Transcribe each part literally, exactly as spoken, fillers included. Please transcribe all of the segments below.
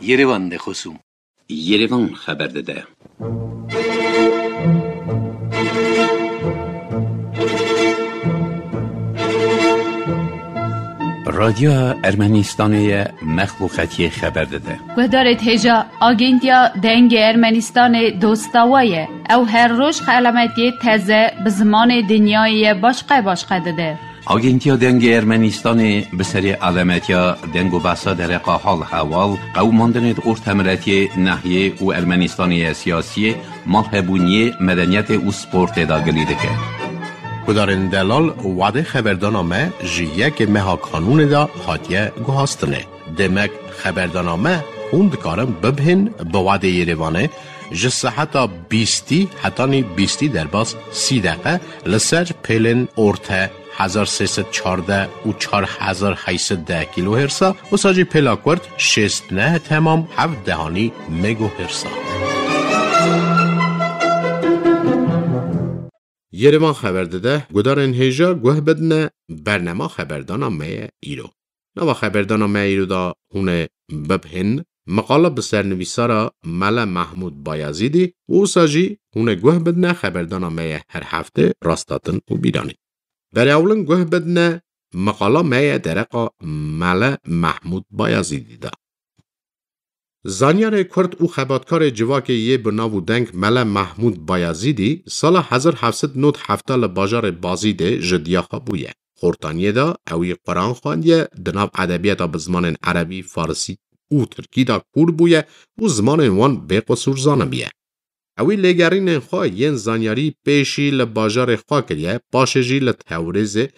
Yerevan de xosûm. Yerevan xeber dide. Radyoya Ermenistanê ye mexluqetiyê xeber dide. Guhdarêt hêja Agentiya Dengê Ermenistanê dosta we ye. Ew her roj xelametiyê teze bi zimanê dinyayê ye başqe başqe dide. Agentiya Dengê Ermenistanê bi serê alemetiya deng û behsa dereqa hal heval, qewimandinê di ortemiletiyê, nehiyê û Ermenistanê ye siyasiyê, malhebûniyê, medeniyetê û sportê de gilî dike. Gudarên delal, wadê xeberdana me ji yekê meha kanûnê de hatiye guhastinê. Demek xeberdana me hûn dikarin bibhên bi wadê Yerevanê ji seheta bîstî hetanî bîstî derbas sî deqe li ser pêlên orte hezar sê sed çardeh û çar hezar heyt sed deh kilohertsa, wisa jî pêla kurt şêst neh temam heft dehanî megohertsa. Yerevan xeber dide, gudarên hêja guh bidine bernema xeberdana me ye îro. Nava xeberdana me îro da hûn ê bibhên, miqala bi sernivîsara Mele Mehmûd Bayazîdî û wisa jî hûn ê guh bidine xeberdana me ye her heftê Rastatin û Bîranî. Berê ewlin guh bidine miqala me ye dereqa Mele Mehmûd Bayazîdî de. Zanyarê Kurd û xebatkarê civakê yê bi nav û deng Mele Mehmûd Bayazîdî sala hezar heft sed nod hefta li bajarê Bazîdê ji diya xwe bûye. Xortaniyê de ewî Quran xwendiye, di nav edebiyata bi zimanên erebî, farisî û tirkî de kûr bûye û zimanên wan bê qusûr zanibiye. Ewî lêgerînên xwe yên zanyarî pêşî li bajarê xwe kiriye, paşê jî li Tewrêzê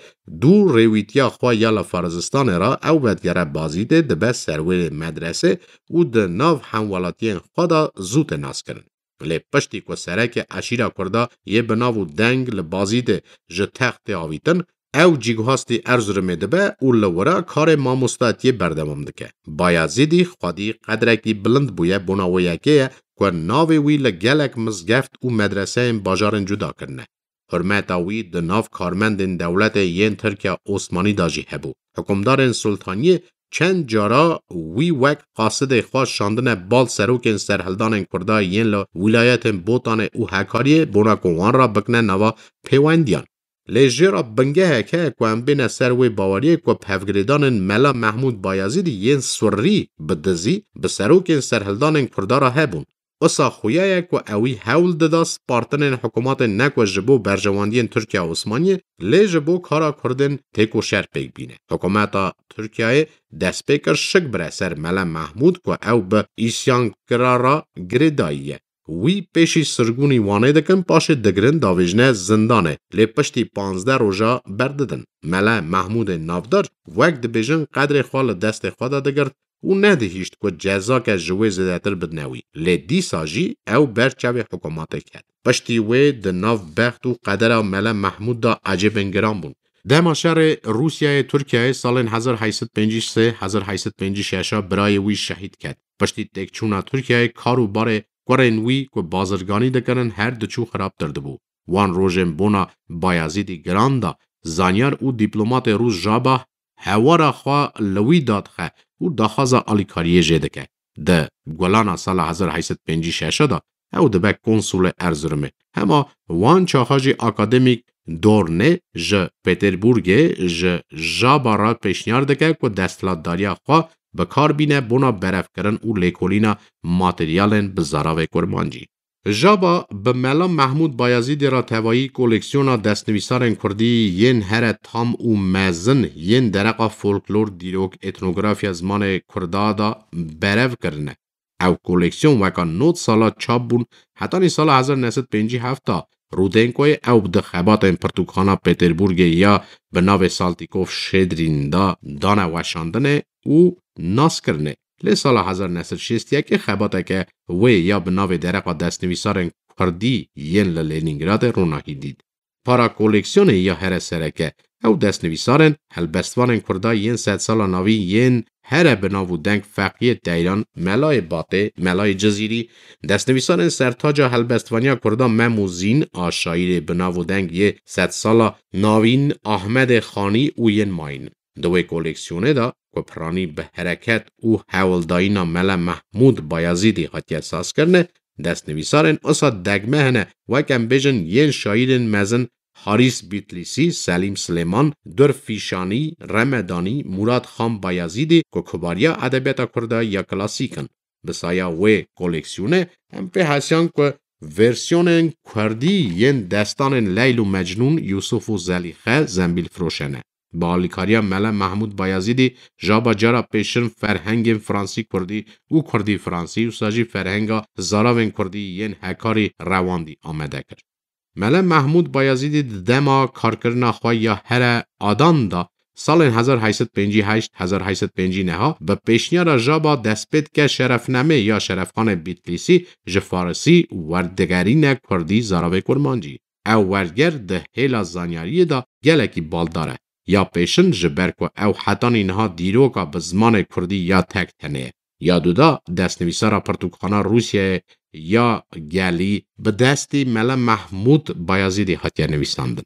dû rêwîtiya xwe ya li Farizistanê re ew vedigere Bazîdê, dibe serwêrê medresê û di nav hemwelatiyên xwe de zû tê naskirin. Lê piştî ku serekê eşîra Kurda yê bi nav û deng li Bazîdê ji text tê avîtin, ew cîguhastî Erzurumê dibe û li wira karê mamostatiyê berdewam dike. Bayazîdî xwedî qedrekî bilind bûye, bona wê yekê ye ku navê wî li gelek mizgeft û medreseyên bajarên cuda kirine. Hurmeta wî di nav karmendên dewletê yên Tirkiya Osmanî de jî hebû. Hikûmdarên Sultaniyê çend cara wî wek qasidê xwe şandine bal serokên serhildanên Kurda yên li wîlayetên Botanê û Hekariyê, bona ku wan re bikine nava pêwendiyan. Lê jê re bingehek heye ku em bêne ser wê baweriyê ku bi hevgirêdanên Mela Mehmûd Bayazîdî yên Surrî bi dizî bi serokên serhildanên Kurda re hebûn. Wisa xuya ye ku ewî hewl dida spartinên hikûmatê ne ku ji bo berjewendiyên Tirkiya Osmaniyê, lê ji bo kara Kurdên têkoşer pêk bîne. Hikûmeta Tirkiyeyê dest pê kir şik bire ser Mele Mehmûd ku ew bi îsyankira re girêdayî ye. Wî pêşî sirgûnî Wanê dikin, paşê digirin davêjine zindanê, lê piştî panzdeh roja berdidin. Mele Mehmûdê navdar wek dibêjin qedrê xwe li destê xwe de digirt û nedihîşt ku cezake ji wê zêdetir bidine wî. Lê dîsa jî ew ber çavê hikûmatê ket. Piştî wê di nav bext û qedera Mele Mehmûd de ecêbên giran bûn. Dema şerê Rûsyayê Tirkiyeyê salên hezar heyt sed pêncî sê hezar heyt sed pêncî şeş a birayê wî şehîd ket. Piştî têkçûna Tirkiyeyê kar û barê kurên wî ku bazirganî dikirin her diçû xirabtir dibû. Wan rojên bona Bayazîdî giran da, zanyar û dîplomatê rûs Jaba hewara xwe li wî dadixe û daxwaza alîkariyê jê dike. Di Gulana sala hezar heyt sed pêncî şeş de ew dibe konsulê Erzurumê. Hema wan çaxa jî akademîk Dornê ji Peterburgê ji Jaba re pêşniyar dike ku desthilatdariya xwe bi kar bîne bona berevkirin û lêkolîna materyalên bi zaravê kurmancî. Jaba bi Mela Mehmûd Bayazîdê re tevayî koleksiyona destnivîsarên kurdî yên here tam û mezin yên dereqa folklor, dîrok, etnografiya zimanê kurda de berev kirine. Ew koleksiyon weka nod sala çap bûn, hetanî sala hezar neh sed pêncî heft a Rudenkoyê ew di xebatên pirtûkxana Peterburgê ya bi navê Saltîkov Şedrîn de dane weşandinê û naskirinê. Lê sala hezar neh sed şêst yekê xebateke wê ya bi navê Dereqa Destnivîsarên Kurdî yên li Lenîngradê ronahî dît. Para koleksiyonê ya here sereke, ew destnivîsarên helbestvanên Kurda yên sedsala navîn yên here bi nav û deng Feqiyê Teyran, Melayê Batê, Melayê Cizîrî, destnivîsarên sertaca helbestvaniya Kurda Mem û Zîn a şaîrê bi nav û deng yê sedsala navîn Ahmedê Xanî û yên mayîn. Di wê koleksiyonê de ku piranî bi hereket û hewldayîna Mele Mehmûd Bayazîdî hatiye sazkirinê, destnivîsarên usa degme hene, wek em bêjin yên şaîrên mezin Harîs Bîtlîsî, Selîm Silêman, Dur Fîşanî, Remedanî, Murad Xan Bayazîdî ku kubariya edebiyata kurda ya klasîk in. Bi saya wê koleksiyonê em pê hesiyan ku versiyonên kurdî yên destanên Leyl û Mecnûn, Yûsuf û Zelîxe, Zembîlfiroşe ne. Bi alîkariya Mele Mehmûd Bayazîdî jaba cara pêşin ferhengên fransî kurdî û kurdî fransî, wisa jî ferhenga zaravên kurdî yên hekarî rewandî amede kir. Mele Mehmûd Bayazîdî di dema karkirina xwe ya here adan de salên hezar heyt sed pêncî heşt, hezar heyt sed pêncî neh bi pêşniyara jaba destpê dike Şerefnamê ya Şerefxanê Bîtlîsî ji farisî werdigerîne kurdî zaravê kurmancî. Ew werger di hêla zanyariyê de gelekî baldar e. Ya pêşin ji ber ku ew hetanî niha dîroka bi zimanê kurdî ya tek tenê ye. Ya duda destnivîsara pirtûkxana Rûsyayê ya gelî bi destî Mele Mehmûd Bayazîdî hatiye nivîsandin.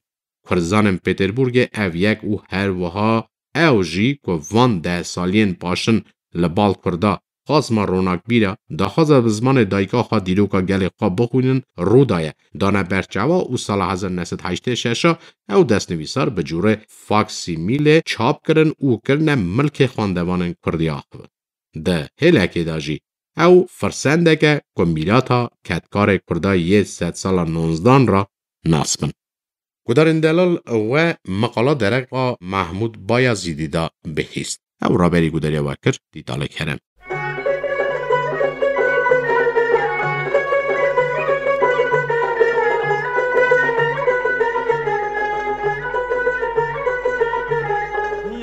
Kurdzanên Pêterburgê ev yek û her wiha ew jî ku van deh saliyên paşin li bal kurda qasma ronakbîr e, daxwaza bi zimanê dayika xwe dîroka gelê xwe bixwînin rû daye, dane ber çawa û sala hezar neh sed heştê şeş a ew destnivîsar bi cûrê faksîmîlê çap kirin û kirine milkê xwendevanên kurdî axivin. Di hêlekê de jî ew firsendek e ku mîrata kedkarê kurda yê sedsala nozdan re nas bin. Gudarên delal we meqala dereqa Mehmûd Bayazîdî de bihîst. Ew raberî gudariya we kir, Dîtalê Kerem.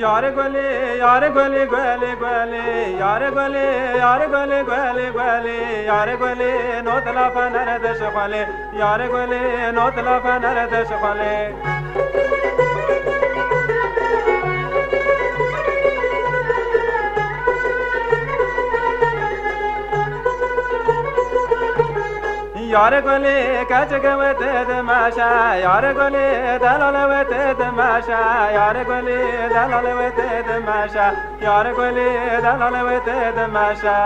Yare gulê, yare gulê, gulê, gulê, yare gulê, yare gulê, gulê, gulê, yare gulê, not la fener de şixwelê, yare gulê, not la fener de şixwelê. Yare gulê, keçike wê tê dimeşe, yare gulê, delale wê tê dimeşe, yare gulê, delale wê tê dimeşe, yare gulê, delale wê tê dimeşe.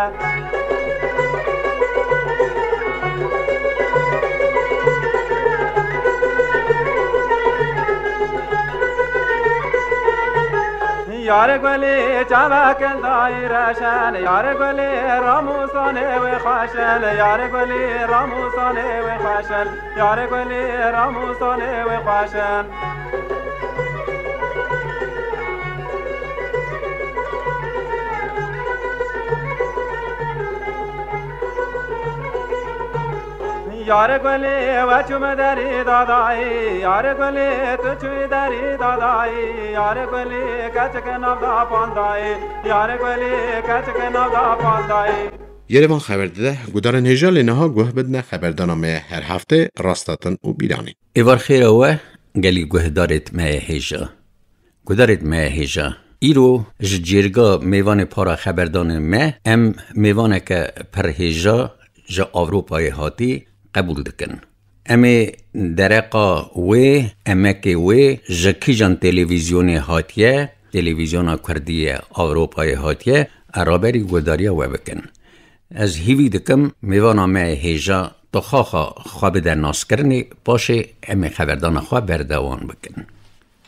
Yare gulê, çavakên dayî reşen, yare gulê, ramûsanê wê xweşen, yare gulê, ramûsanê wê xweşen, yare gulê, ramûsanê wê xweşen. Yare gulê, we çûme derî dadayî, yare gulê, tu çûyî derî dadayî, yare gulê, keçike nav da pandayî, yare gulê, keçike nav da pandayî. Yerevan xeber dide, gudarên hêja lê niha guh bidine xeberdana me her heftê, Rastatin û Bîranî. Êvar xêra we, gelî guhdarêt me hêja. Gudarêt me hêja. Îro ji cêrga mêvanê para xeberdanê me, em mêvaneke pir hêja ji Ewropayê hatî qebûl dikin. Em ê dereqa wê, emekê wê ji kîjan televîzyonê hatiye, televîzyona Kurdî ye, Ewropayê hatiye, e raberî guhdariya we bikin. Ez hîvî dikim mêvana me hêja tu xaxa xwe bide naskirinê, paşê em ê xeberdana xwe berdewam bikin.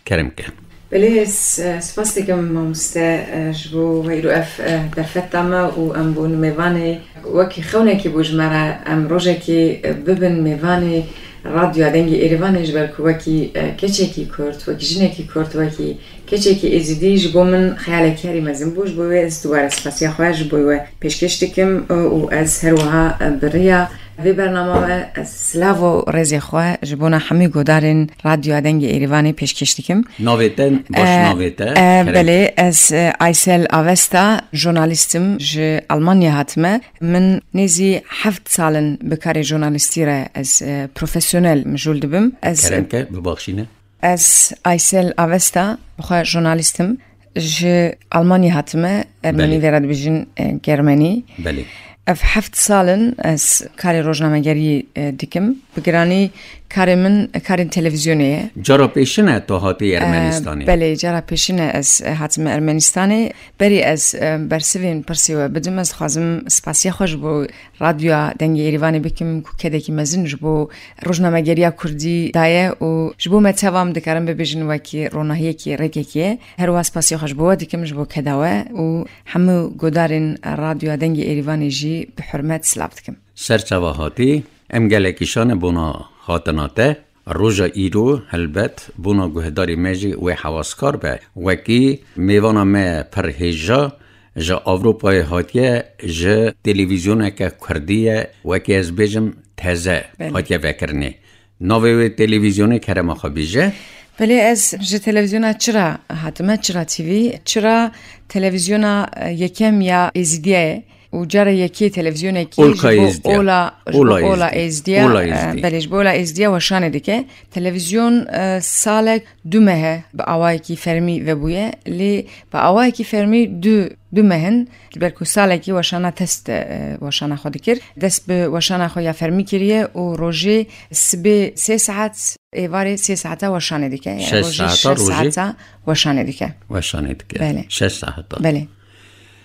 Kerem ke. Belê, ez, e, spas dikim mamoste, e, ji bo we îro ev, e, derfeta me û em bûn mêvanê wekî xewnekî bû ji me re em rojekî, e, bibin mêvanê Radyoya Dengê Êrîvanê ji ber ku wekî, e, keçekî Kurd, wekî jinekî Kurd, wekî keçekî Êzidî ji bo min xeyalekî herî mezin bû. Ji bo wê ez dubare spasiya xwe ji bo we pêşkêş dikim, e, û ez her wiha, e, bi riya vê bernama me ez silav û rêzê xwe ji bona hemî guhdarên Radyoya Dengê Êrîvanê pêşkêş dikim. Navê te, baş E, navê te, e, kerem. Belê, ez, e, Aysel Avesta, jurnalîst im, ji Almanya hatime. Min nêzî heft sal in bi karê jurnalîstî re ez, e, profesyonel mijûl dibim. Ez Kerem ke, bibaxşîne. Ez Aysel Avesta, bi xwe jurnalîst im. Ji Almanya hatime, Ermenî Belê. Vê re dibêjin, e, Germenî. Belê. Ev heft sal in ez karê rojnamegeriyê, e, dikim. Bi giranî karê min karên televîzyonê ye. Cara pêşin e tu hatî E, Ermenistanê? Belê, cara pêşin e ez, e, hatime Ermenistanê. Berî ez, e, bersivên pirsê we bidim, ez dixwazim spasiya xwe ji bo Radyoya Dengê Êrîvanê bikim ku kedekî mezin ji bo rojnamegeriya kurdî daye û ji bo me teva em dikarin bibêjin wekî ronahiyekî, rêkekê ye. Her wiha spasiya xwe ji bo we dikim, ji bo keda we û hemû guhdarên Radyoya Dengê Êrîvanê jî bi hurmet silav dikim. Ser çava hatî, em gelekî şane bona hatina te. Roja îro, helbet, bona guhdarê me jî wê hewaskar be. Wekî mêvana me pir hêja ji Ewropayê hatiye, ji televîzyoneke kurdî ye, wekî ez bêjim teze Belê. hatiye vekirinê. Navê wê televîzyonê kerema xwe bêje. Belê, ez ji televîzyona Çira hatime, Çira T V. Çira televîzyona, e, yekem ya Êzîdiya ye û cara yekê televîzyonekî Olka ji bo Êzdiya. Ola, ji bo Ola Ola Êzdiya. Êzdiya, Ola e, Êzdiya. Belê, ji bo Ola Êzdiya weşanê dike. Televîzyon, e, salek du meh e bi awayekî fermî vebûye, lê bi awayekî fermî du, du meh in, ji ber ku salekî weşana test, e, weşana xwe dikir. Dest bi weşana xwe ya fermî kiriye û rojê sibê sê saet, êvarê sê saeta weşanê dike. Yani Şeş rojê saeta, şeş rojê? saeta weşanê dike. Weşanê dike. Belê. Şeş saeta. Belê.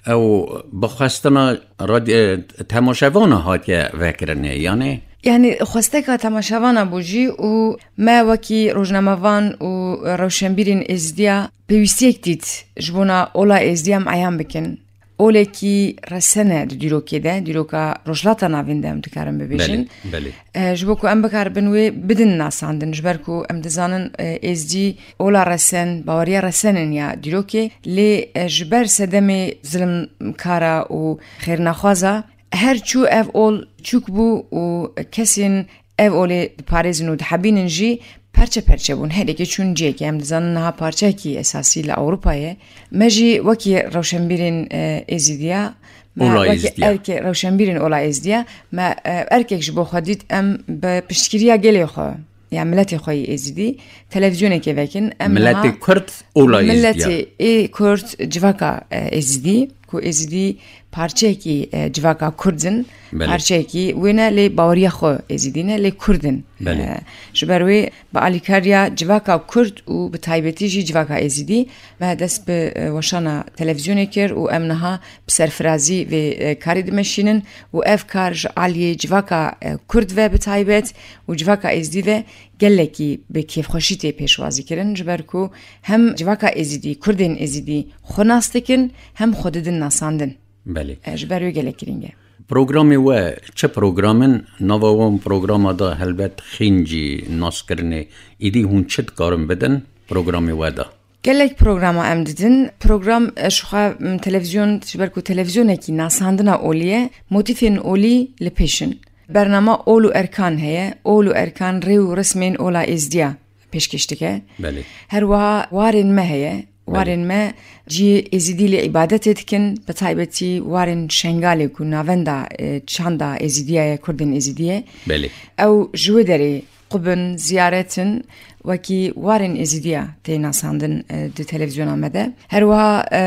Ew bi xwestina radyo-, temaşevana hatiye vekirinê, yani? Yani xwesteka temaşevana bû jî û me wekî rojnamevan û rewşenbîrên Êzidiya pêwîstiyek dît ji bona Ola Êzdiya em eyan bikin. Olekî resen e di dîrokê de, dîroka Rojhilata Navîn de em dikarin bibêjin. Belê, belê. E, ji bo ku em bikaribin wê bidin nasandin, ji ber ku em dizanin, e, Êzdî ola resen, baweriya resen in ya dîrokê, lê, e, ji ber sedemê zilimkara û xêrnexwaza her çû ev ol çûk bû û kesên ev olê diparêzin û dihebînin jî perçe perçe bûn. Her yekê çûn cihekê. Em dizanin niha parçeyekî esasî li Ewropa ye. Me jî wekî rewşenbîrên, e, Êzîdiya, me Ola wekî Êzdiya. erkê rewşenbîrên Ola Êzdiya, me, e, erkek ji bo xwe dît, em bi piştgiriya gelê xwe, ya miletê xwe yê Êzidî, televîzyonekê vekin. Em Miletê niha Kurd, Ola Êzdiya. Miletê ê Kurd, civaka, e, Êzidî, ku Êzidî parçeyekî, e, civaka Kurd in, Belê. parçeyekî wê ne, lê baweriya xwe Êzidî ne, lê Kurd in. Belê. E, ji ber wê bi alîkariya civaka Kurd û bi taybetî jî civaka Êzidî, me dest bi, e, weşana televîzyonê kir û em niha bi serfirazî vê, e, karê dimeşînin û ev kar ji aliyê civaka, e, Kurd ve bi taybet û civaka Êzidî ve gelekî bi kêfxweşî tê pêşwazî kirin, ji ber ku hem civaka Êzidî, Kurdên Êzidî xwe nas dikin, hem xwe didin nasandin. Belê. E, ji ber wê gelek girîng e. Programê we çi program in? Nava wan programa de helbet xîncî naskirinê. Îdî hûn çi dikarin bidin programê we de? Gelek programa em didin. Program, e, ji xwe, m, televîzyon, ji ber ku televîzyonekî nasandina olî ye, motîfên olî li pêş in. Bernama Ol û Erkan heye. Ol û Erkan rê û resmên Ola Êzdiya pêşkêş dike. Belê. Her wiha warên me heye. Belê. Warên me cihê Êzidî lê îbadetê dikin, bi taybetî warên Şengalê ku navenda, e, çanda Êzidiya ye, Kurdên Êzidî ye. Belê. Ew ji wê derê qubin, ziyaret in, wekî warên Êzidiya tê nasandin, e, di televîzyona me de. Her wiha, e,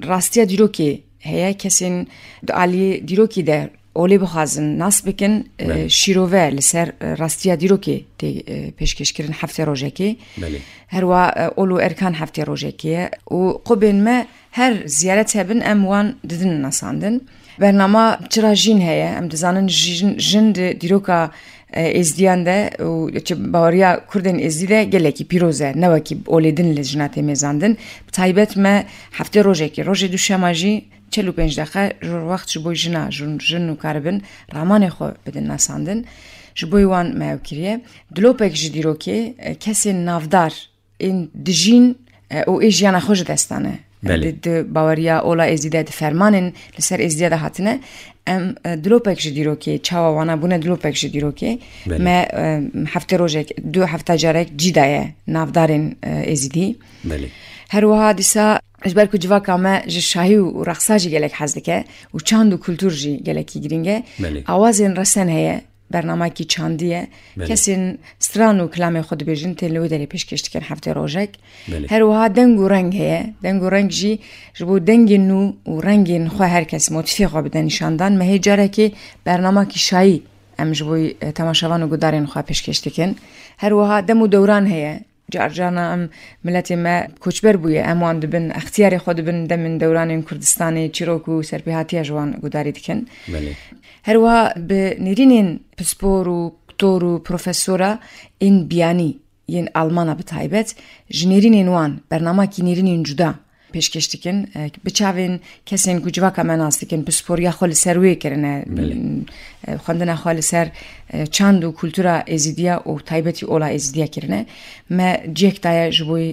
rastiya dîrokê heye, kesên di aliyê dîrokî de olê bixwazin nas bikin, e, Belê. şîrove li ser, e, rastiya dîrokê tê, e, pêşkêşkirin heftê rojekê. Belê. Her wiha, e, Ol û Erkan heftê rojekê ye û qubên me her ziyaret hebin em wan didin nasandin. Bernama Çira Jîn heye, em dizanin jin, jin di dîroka, e, Êzdiyan de û çi baweriya Kurdên Êzdî de gelekî pîroz e, ne wekî olê din li jina tê mêzandin. Bi taybet me heftê rojekê, rojê duşema jî çel û pênc deqe ji wext ji bo jina, jin, jin û karibin ramanê xwe bidin nasandin. Ji bo wan me ew kiriye. Dilopek ji dîrokê, e, kesên navdar ên dijîn, e, û ê jiyana xwe ji dest dane. Belê. Di, di baweriya Ola Êzî de, di fermanên li ser Êzîdiya de hatine. Em, e, dilopek ji dîrokê, çawa wana bûne dilopek ji dîrokê. Belê. Me, e, heftê rojek, du hefta carek cî daye navdarên, e, Êzîdî. Belê. Her wiha dîsa ji ber ku civaka me ji şahî û reqsa jî gelek hez dike û çand û kultur jî gelekî girîng e. Belê. Awazên resen heye, bernamekî çandî ye. Belê. Kesên stran û kilamê xwe dibêjin, tên li wê derê pêşkêş dikin heftê rojek. Belê. Her wiha deng û reng heye. Deng û reng jî ji bo dengên nû û rengên xwe her kes motîfê xwe bide nîşandan. Me hê carekê bernamakî şayî em ji bo, e, temaşevan û gudarên xwe pêşkêş dikin. Her wiha dem û dewran heye. Car carna em, miletê me koçber bûye, em wan dibin, extiyarê xwe dibin, demên dewranên Kurdistanê, çîrok û serpêhatiya ji wan gudarî dikin. Belê. Her wiha bi nêrînên pispor û doktor û profesora ên biyanî yên Almana bi taybet, ji nêrînên wan, bernamakî nêrînên cuda pêşkêş dikin, e, bi çavên kesên ku civaka me nas dikin, pisporiya xwe li ser wê kirine, Belê. e, xwendina xwe li ser, e, çand û kultura Êzidiya û taybetî ola Êzidiya kirine. Me cihek daye ji bo, e,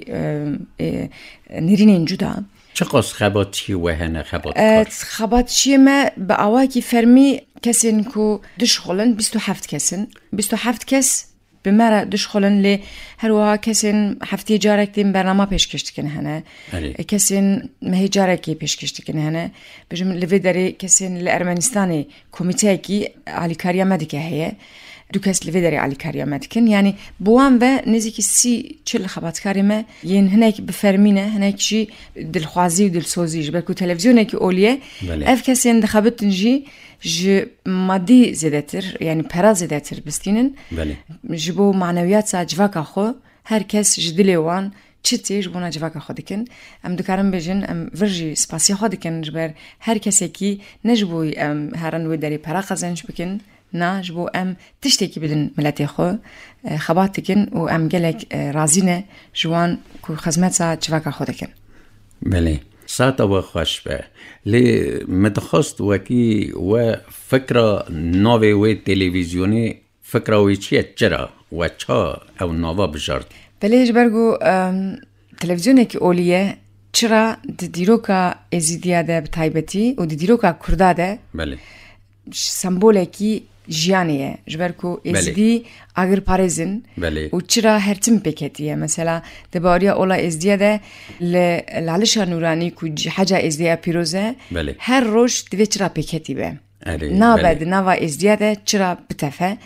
e, nêrînên cuda. Çiqas xebatçiyê we hene, xebatkar? E, xebatçiyê me bi awakî fermî kesên ku dişixulin bîst û heft kes in. Bîst û heft kes bi me re dişixulin, lê her wiha kesên heftiyê carek tên bernama pêşkêş dikin hene. Erê. E, kesên mehê carekê pêşkêş dikin hene. Bijim li vê derê kesên li Ermenistanê komîteyekî alîkariya me dike heye. Du kes li vê derê alîkariya me dikin. Yanî bi wan ve nêzîkî sî çil xebatkarê me yên hinek bi fermî ne, hinek jî dilxwazî û dilsozî. Ji ber ku televîzyonekî olî ye, Belê. ev kesên dixebitin jî ji madî zêdetir, yanî pera zêdetir bistînin. Belê. Ji bo manewiyata civaka xwe, her kes ji dilê wan çi tê ji bona civaka xwe dikin. Em dikarin bêjin, em vir jî spasiya xwe dikin ji ber her kesekî, ne ji bo em herin wê derê pera qezenc bikin, na, ji bo em tiştekî bidin miletê xwe, e, xebat dikin û em gelek, e, razî ne ji wan ku xizmeta civaka xwe dikin. Belê. Saeta we xweş be. Lê min dixwest wekî we fikra navê wê televîzyonê, fikra wê çi ye? Çira we ça ew nava bijart? Belê, ji ber ku, em, televîzyonekî olî ye, çira di dîroka Êzîdiya de bi taybetî û di dîroka Kurda de Belê. sembolekî jiyanê ye. Ji ber ku Belê. Êzidî agirparêz in Belê. û çira her tim pêketî ye. Mesela, di baweriya ola Êzdiya de li Lalişa Nûranî ku cî-, heca Êzdiya pîroz e, Belê. her roj divê çira pêketî be. Erê, Nabe belê. di nava Êzdiya de çira bitefe.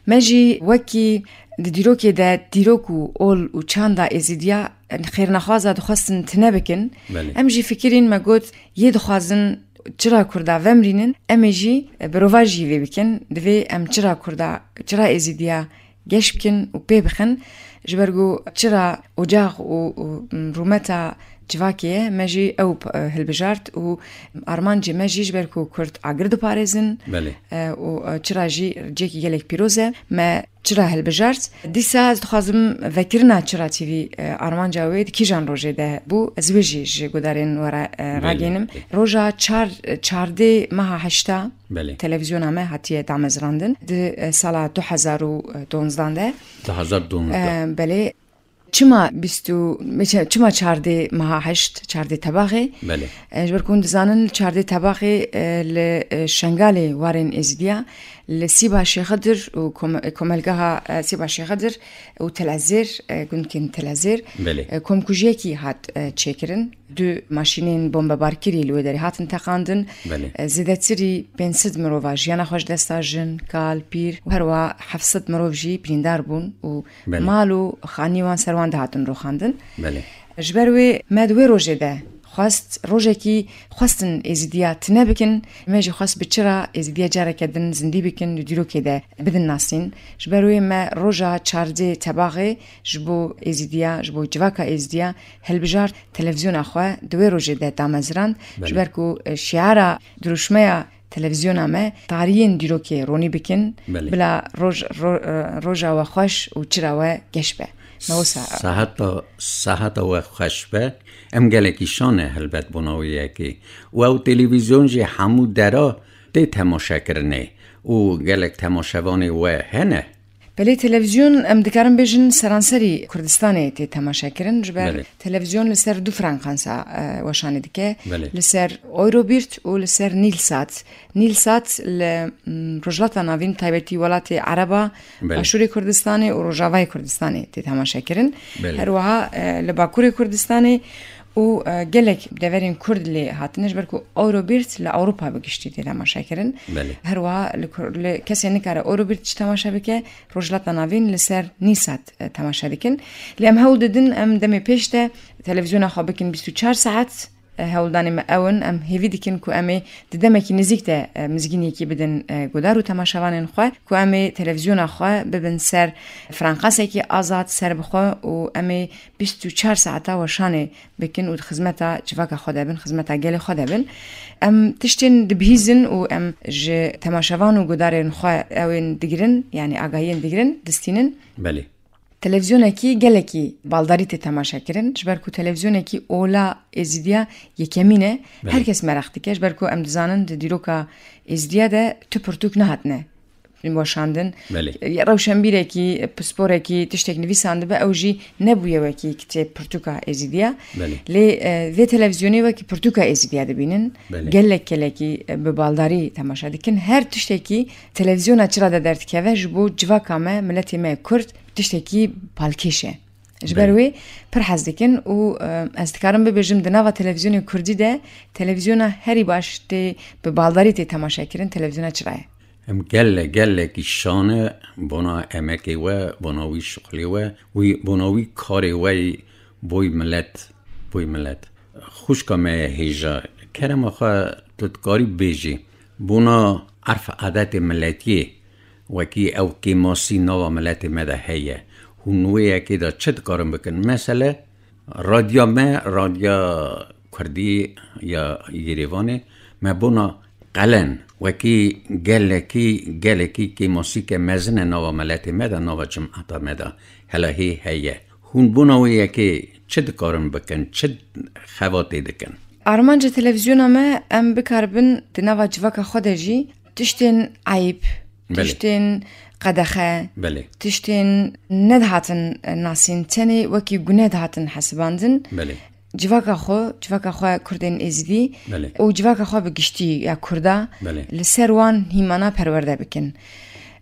Me jî wekî di dîrokê de dîrok û ol û çanda Êzidiya xêrnexwaza dixwestin tine bikin. Belê. Em jî fikirîn, me got, yê dixwazin çira Kurda vemrînin, em ê jî bi rovajî vê bikin. Divê em çira Kurda, çira Êzidiya geş bikin û pê bixin. Ji ber ku çira ocax û, û rûmeta civakê ye, me jî ew, e, hilbijart û armancê me jî ji ber ku Kurd agir diparêzin, Belê. e, û, e, çira jî cihekî gelek pîroz e, me çira hilbijart. Dîsa ez dixwazim vekirina Çira T V, e, armanca wê di kîjan rojê de bû, ez wê jî ji gudarên we re, e, Belê. ragênim. Roja çar, çardê meha heşta Belê. televîzyona me hatiye damezrandin. Di, e, sala du hezar û donzdan de. Du hezar donzdan. E, belê. Çima bîst û, çima çardê meha heşt, çardê tebaxê? Belê. E, ji ber ku hûn dizanin, çardê tebaxê, e, li, e, Şengalê warên Êzidiya, li Sîba Şêxidir û kom-, komelgeha, e, Sîba Şêxidir û Telezêr, e, gundkên Telezêr, Belê. e, komkujiyekî hat, e, çêkirin. Du maşînên bombebarkirî li wê derê hatin teqandin. Belê. E, zêdetirî pênc sed mirova jiyana xwe ji dest da, jin, kal, pîr û herwiha heft sed mirov jî birîndar bûn û Belê. mal û xanî wan ser wan de hatin rûxandin. Belê. Ji ber wê me di wê rojê de xwest, rojekî xwestin Êzidiya tine bikin, me jî xwest bi çira Êzidiya careke din zindî bikin, di dîrokê de bidin nasîn. Ji ber wê me roja çardê tebaxê ji bo Êzidiya, ji bo civaka Êzidiya hilbijart, televîzyona xwe di wê rojê de damezrand, Belê. ji ber ku, e, şiara dirûşmeya televîzyona me, tariyên dîrokê ronî bikin, Belê. bila roj-, ro-, e, roja we xweş û çira we geş be. Me wisa Seheta, seheta we xweş be. Em gelekî şan e helbet bona wê yekê. Û ew televîzyon jî hemû dera tê temaşekirinê û gelek temaşevanê we hene. Belê, televîzyon, em dikarin bêjin, seranserî Kurdistanê tê temaşekirin. Ji ber Belê. televîzyon li ser du frekansa, e, weşanê dike. Belê. Li ser Eurobirt û li ser Nîlsat. Nîlsat li, mm, Rojhilata Navîn, taybetî welatê Ereba, Belê. Başûrê Kurdistanê û Rojavayê Kurdistanê tê temaşekirin. Belê. Her wiha, e, li Bakurê Kurdistanê û, e, gelek deverên Kurd lê hatine, ji ber ku Eurobild li Ewropa bi giştî tê temaşe kirin. Belê. Her wiha li Kur-, li kesê nikare Eurobild jî temaşe bike, Rojhilata Navîn li ser Nîsat, e, temaşe dikin. Lê em hewl didin, em demê pêş de televîzyona xwe bikin bîst û çar saet. E, hewldanê me ew in, em hêvî dikin ku em ê di demekî nêzîk de, e, mizgîniyekî bidin, e, guhdar û temaşevanên xwe, ku em ê televîzyona xwe bibin ser franqasekî azad, ser bi xwe û em ê bîst û çar saeta weşanê bikin û di xizmeta civaka xwe de bin, xizmeta gelê xwe de bin. Em tiştên dibihîzin û em ji temaşevan û guhdarên xwe ew ên digirin, yanî agahiyên digirin, distînin. Belê. Televîzyonekî gelekî baldarî tê temaşe kirin, ji ber ku televîzyonekî ola Êzîdiya yekemîn e, Belê. Her kes meraq dike, ji ber ku em dizanin di dîroka Êzîdiya de tu pirtûk nehatine weşandin. Belê. Rewşenbîrekî, pisporekî, tiştek nivîsandibe, ew jî nebûye wekî kitê pirtûka Êzîdiya. Belê. Lê, e, vê televîzyonê wekî pirtûka Êzîdiya dibînin. Belê. Gelek gelekî, e, bi baldarî temaşe dikin. Her tiştekî televîzyona çira de derdikeve ji bo civaka me, miletê me Kurd tiştekî balkêş e. Ji ber Belê. Wê pir hez dikin û, e, ez dikarim bibêjim di nava televîzyonê Kurdî de televîzyona herî baş tê bi baldarî tê temaşe kirin, televîzyona çira ye. Em gele, gelekî şane bona emekê we, bona wî şixulê we, wî, bona wî karê we yî boy milet, boy milet. Xwişka me ye hêja, kerema xwe tu dikarî bêjî, bona erf adetê miletiyê, wekî ew kêmasî nava miletê me de heye. Hûn wê yekê de çi dikarin bikin? Mesele, radya me, radya Kurdî ya Yêrêvanê, me bona qelen, wekî gelekî, gelekî kêmasîke mezin e nava miletê me de, nava cimata me de. Hela hê heye. Hûn bona wê yekê çi dikarin bikin, çi xebatê dikin? Armanca televîzyona me, em bikaribin di nava civaka xwe de jî tiştên eyb, Belê. Tiştên qedexe, Belê. Tiştên nedihatin nasîn, tenê wekî guneh dihatin hesibandin. Belê. Civaka xwe, civaka xwe Kurdên Êzidî Belê. Û civaka xwe bi giştî ya Kurda Belê. Li ser wan hîmana perwerde bikin.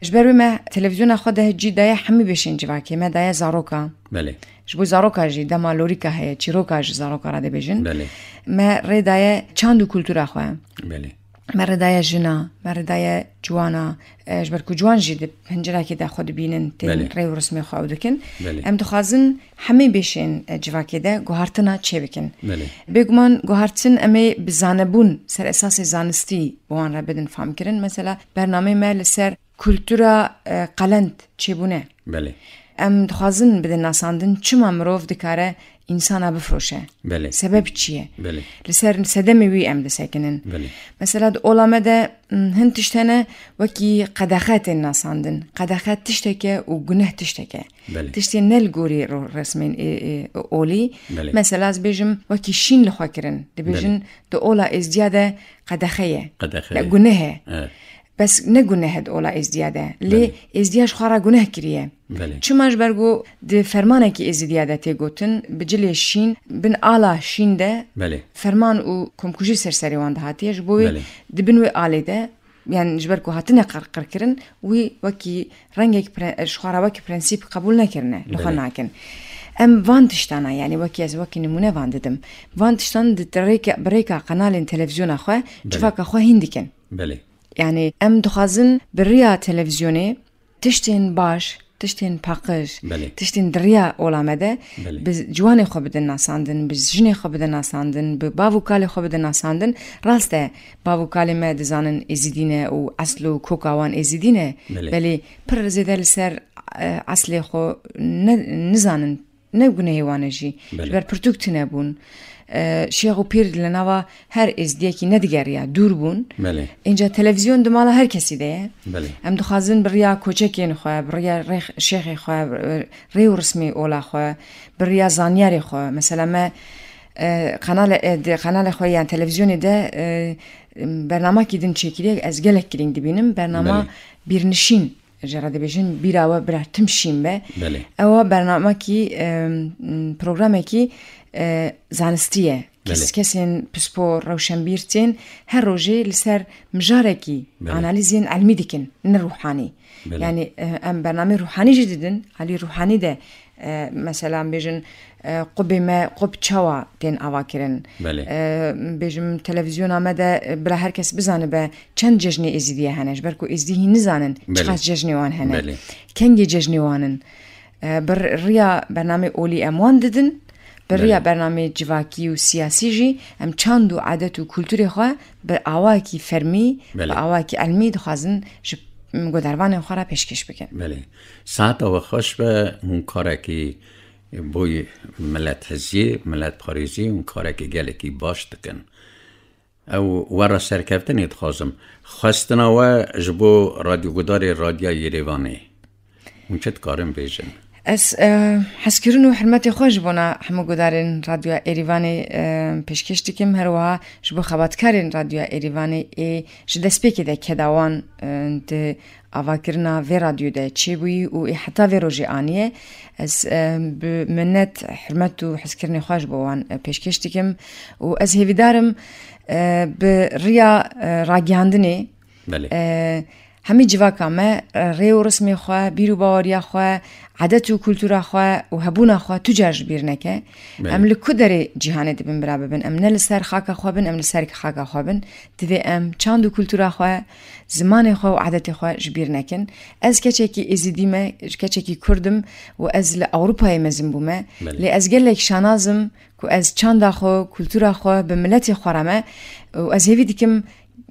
Ji ber wê me televîzyona xwe de cî daye hemî beşên civakê, me daye zaroka. Belê. Ji bo zaroka jî dema lorîka heye, çîroka ji zaroka re dibêjin. Belê. Me rê daye çand û kultura xwe. Belê. Me rê daye jina, me rê daye ciwana, e, ji ber ku ciwan jî di pencerekê de xwe dibînin, tên Belê. Rê û rismê xwe ew dikin. Belê. Em dixwazin hemî beşên, e, civakê de guhartina çêbikin. Belê. Bêguman guhartin em ê bi zanebûn ser esasê zanistî bi wan re bidin famkirin. Mesela bernameyê me li ser kultura, e, qelend çêbûne. Belê. Em dixwazin bidin nasandin çima mirov dikare însana bifroşe. Belê. Sebeb çi ye? Belê. Li ser sedemê wî em disekinin. Belê. Mesela di ola me de, m, hin tişt hene wekî qedexe tên nasandin. Qedexe tişteke û guneh tişteke. Belê. Tiştên ne li gorî ro-, resmên ê, ê, olî. Belê. Mesela ez bêjim wekî şîn li xwe kirin. Dibêjin Belê. Di ola êzdiya de qedexe ye. Qedexe Ya ye. Guneh e. Evet. Bes ne guneh e di ola êzdiya de. Lê Belê. Êzdiya ji xwe re guneh kiriye. Belê. Çima ji ber ku di fermanekî êzidiya de tê gotin, bi cilê şîn, bin ala şîn de Belê. Ferman û komkujî ser serê wan dihatiye. Ji bo wê Belê. Di bin wê alê de, yani ji ber ku hatine qirqirkirin, wî wekî rengek pre-, ji xwe re wekî prensîp qebûl nekirine, li xwe Belê. Nakin. Em van tiştana, yani wekî ez wekî nimûne van didim. Van tiştan di rêka, bi rêka qenalên televîzyona xwe, Belê. Civaka xwe hîn dikin. Belê. Yani em dixwazin bi riya televîzyonê tiştên baş, tiştên paqij, Belê. Tiştên di riya ola me de Belê. Bi ciwanê xwe bidin nasandin, bi jinê xwe bidin nasandin, bi bav û kalê xwe bidin nasandin. Rast e, bav û kalê me dizanin êzidî ne û esl û koka wan êzidî ne. Belê. Belê pir zêde li ser, e, eslê xwe ne, nizanin. Ne gunehê wan e jî. Belê. Ji ber pirtûk tune bûn. E, şêx û pîr li nava her êzdiyekî nedigeriya, dûr bûn. Belê. Înca televîzyon di mala her kesî de ye. Belê. Em dixwazin bi riya koçekên xwe, bi riya rêx-, şêxê xwe, rê û rismê ola xwe, bi riya zanyarê xwe. Mesela me, e, qenale-, e, di qenalê xwe yan televîzyonê de, e, bernamakî din çêkiriye, ez gelek girîng dibînim. Bernama Belê. Bîrnişîn. Ji re dibêjin, bîra we bira tim şîn be. Belê. Ewa bernamekî, em, programekî, e, zanistî ye. Kes-, Belê. Kesên pispor, rewşenbîr tên her rojê li ser mijarekî Belê. Analîzên elmî dikin, ne ruhanî. Belê. Yani, e, em bernameyê ruhanî jî didin, alî ruhanî de E, mesela bêjin, e, qubê me qub çawa tên ava kirin? Belê. E, bêjim televîzyona me de, e, bila her kes bizanibe çend cejnê Êzidiye hene. Ji ber ku Êzidî hîn nizanin Belê. Çiqas cejnê wan hene. Belê. Kengê cejnê wan in. E, bi riya bernamê olî em wan didin. Bi riya Belê. Bernamê civakî û siyasî jî em çand û adet û kulturê xwe bi awakî fermî, Belê. Bi awakî elmî dixwazin ji guhdarvanên xwe re pêşkêş bikin. Belê. Saeta we xweş be, hûn karekî bo milet hiziyê, milet parêziyê hûn karekî gelekî baş dikin. Ew we re serkeftinê dixwazim. Xwestina we ji bo radyogudarê Radyoya Yerêvanê. Hûn çi dikarin bêjin? Ez, e, hezkirin û hurmetê xwe ji bona hemû gudarên Radyoya Êrîvanê, e, pêşkêş dikim. Her wiha ji bo xebatkarên Radyoya Êrîvanê ê ji destpêkê de keda wan, e, di avakirina vê radyo de çêbûyî û ê heta vê rojê aniye. Ez, e, bi minet, hurmet û hezkirinê xwe ji bo wan, e, pêşkêş dikim û ez hêvîdar im, e, bi riya, e, ragihandinê, Belê. E, hemî civaka me, e, rê û rismê xwe, bîr û baweriya xwe, adet û kultura xwe û hebûna xwe tu car ji bîr neke. Belê. Em li ku derê cîhanê dibin bira bibin? Em ne li ser xaka xwe bin, em li ser xaka xwe bin. Divê em çand û kultura xwe, zimanê xwe û adetê xwe ji bîr nekin. Ez keçekî Êzidî me, keçekî Kurd im û ez li Ewropayê mezin bûme. Belê. Lê ez gelek şanaz im ku ez çanda xwe, kultura xwe bi miletê xwe re me û ez hêvî dikim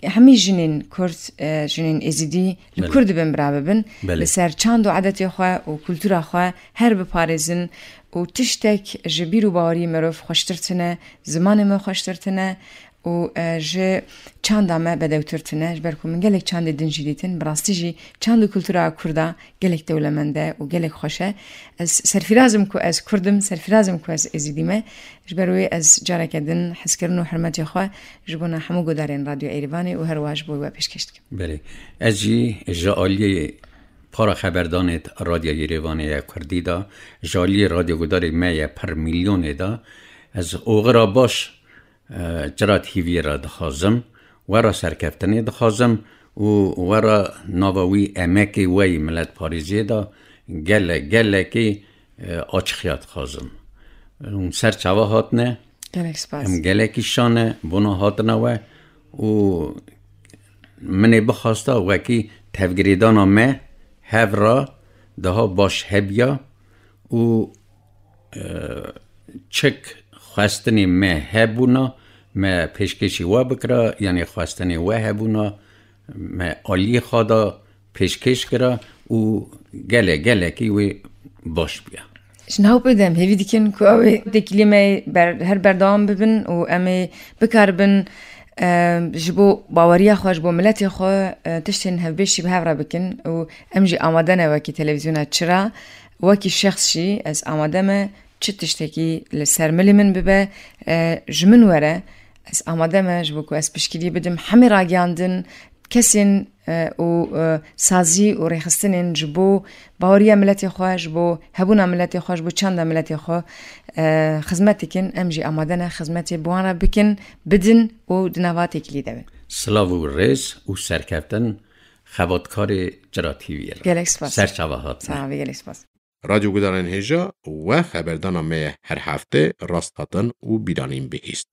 hemî jinên Kurd, e, jinên Êzidî li Belê. Kur dibin bira bibin, Belê. Li ser çand û adetê xwe û kultura xwe her biparêzin û tiştek ji bîr û baweriyê mirov xweştir tune, zimanê me xweştir tune û, e, ji çanda me bedewtir tune. Ji ber ku min gelek çandê din jî dîtin, bi rastî jî çand û kultura Kurda gelek dewlemend e û gelek xweş e. Ez serfiraz im ku ez Kurd im, serfiraz im ku ez Êzidî me. Ji ber wê ez careke din hezkirin û hurmetê xwe ji bona hemû gudarên Radyo Êrîvanê û her wiha ji bo we pêşkêş dikim. Belê. Ez jî ji aliyê para xeberdanê Radyo Yerêvanê ye Kurdî de, ji aliyê radyogudarê me ye pir milyonê de, ez oxira baş, e, Cira T V'yê re dixwazim, we re serkeftinê dixwazim û we re nava wî emekê we yî miletparêziyê de gele-, gelekî, e, açixiya dixwazim. Hûn ser çava hatine. Gelek spas. Em gelekî şan e bona hatina we û min ê bixwasta wekî tevgirêdana me hev re daha baş hebiya û, e, çik xwestinê me hebûna, me pêşkêşî we bikira, yanî xwestinê we hebûna, me aliyê xwe da pêşkêş kira û gele-, gelekî wê baş bûye. Ji nav pê de em hêvî dikin ku ew ê têkiliyê me ber-, her berdewam bibin û em ê bikaribin, e, ji bo baweriya xwe, ji bo miletê xwe, e, tiştên hevbêş jî bi hev re bikin û em jî amade ne wekî televîzyona Çira, wekî şexs jî ez amade me çi tiştekî li ser milê min bibe, e, ji min were, ez amade me ji bo ku ez piştgiriyê bidim hemî ragihandin, kesên, e, û, e, sazî û rêxistinên ji bo baweriya miletê xwe, ji bo hebûna miletê xwe, ji bo çanda miletê xwe, e, xizmet dikin. Em jî amade ne xizmetê bi wan re bikin, bidin û di nava têkilî de bin. Silav û rêz û serkeftin xebatkarê Cira T V'yê re. Gelek spas. Ser çava hatine. Sağ ol, gelek spas. Radyo Gudarên Hêja we xeberdana me ye her hefte rast hatin û bîranîn bihîst.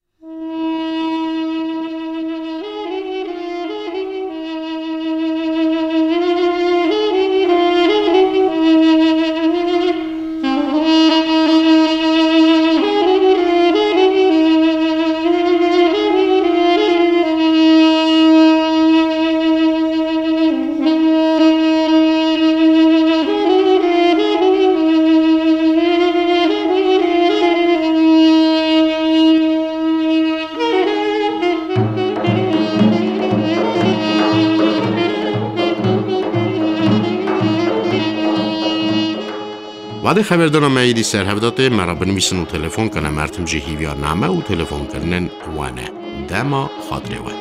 Wadê xeberdana me êdî ser hev de tê, me re binivîsin û telefon kene, em tim jî hîviya name û telefonkirinên we ne. Dema xatirê we.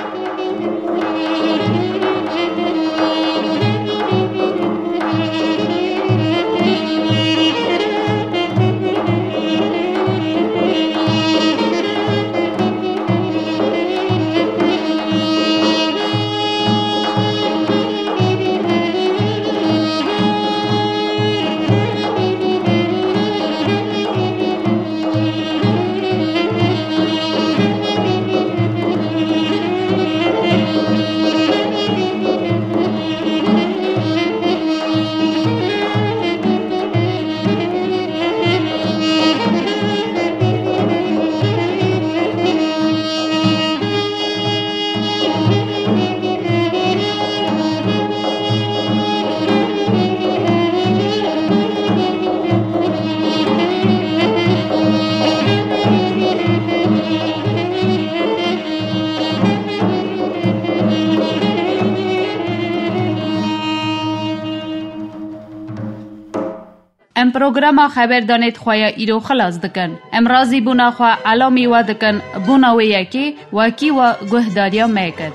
Programa xeberdanê di xwe ya îro xilas dikin. Em razîbûna xwe elamî we dikin bona wê yekê wekî we guhdariya me kir.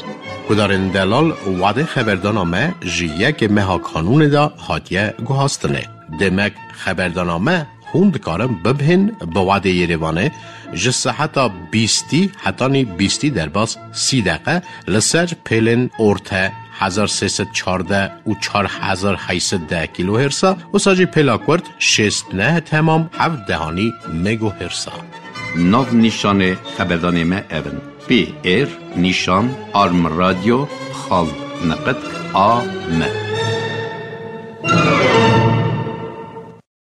Guhdarên delal, wadê xeberdana me ji yekê meha Kanûnê de hatiye guhastinê. Demek xeberdana me hûn dikarin bibihên bi wadê Yerêvanê ji seheta bîstî hetanî bîstî derbas sî deqe li ser pêlên orte hezar sê sed çardeh û çar hezar heyt sed deh kîlohêrsa, wisa jî pêla kurt şêst neh temam heft dehanî megohêrsa. Nav nîşanê xeberdanê me ev in: P R nîşan arm radio xal neqet a m.